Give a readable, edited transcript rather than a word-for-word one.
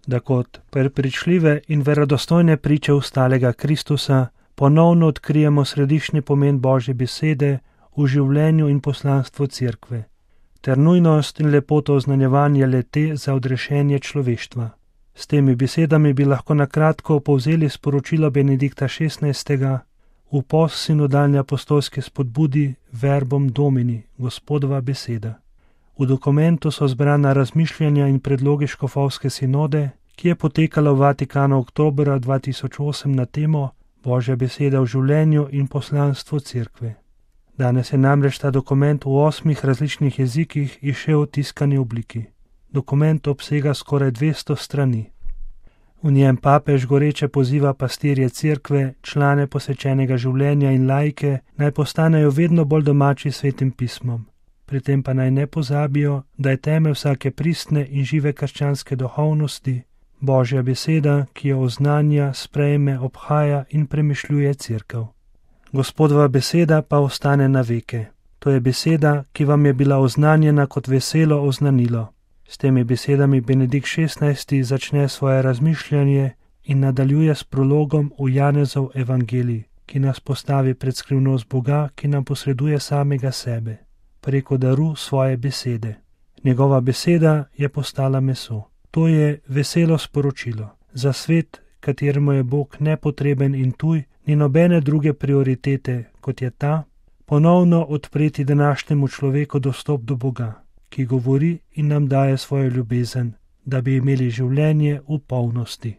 da kot prepričljive in verodostojne priče ustalega Kristusa ponovno odkrijemo središčni pomen Božje besede v življenju in poslanstvu Cerkve, ter nujnost in lepoto oznanjevanja le-te za odrešenje človeštva. S temi besedami bi lahko na kratko povzeli sporočilo Benedikta XVI. V postsinodalni apostolski spodbudi Verbum Domini, Gospodova beseda. V dokumentu so zbrana razmišljanja in predlogi škofovske sinode, ki je potekala v Vatikanu oktobra 2008 na temo Božja beseda v življenju in poslanstvu Cerkve. Danes je namreč ta dokument v 8 različnih jezikih izšel v tiskani obliki. Dokument obsega skoraj 200 strani. V njem papež goreče poziva pastirje Cerkve, člane posvečenega življenja in laike, naj postanejo vedno bolj domači s Svetim pismom. Pri tem pa naj ne pozabijo, da je temelj vsake pristne in žive krščanske duhovnosti Božja beseda, ki jo oznanja, sprejme, obhaja in premišljuje Cerkev. Gospodova beseda pa ostane na veke. To je beseda, ki vam je bila oznanjena kot veselo oznanilo. S temi besedami Benedikt XVI. Začne svoje razmišljanje in nadaljuje s prologom v Janezov evangelij, ki nas postavi pred skrivnost Boga, ki nam posreduje samega sebe, preko daru svoje besede. Njegova beseda je postala meso. To je veselo sporočilo. Za svet, kateremu je Bog nepotreben in tuj, ni nobene druge prioritete, kot je ta, ponovno odpreti današnjemu človeku dostop do Boga, ki govori in nam daje svojo ljubezen, da bi imeli življenje v polnosti.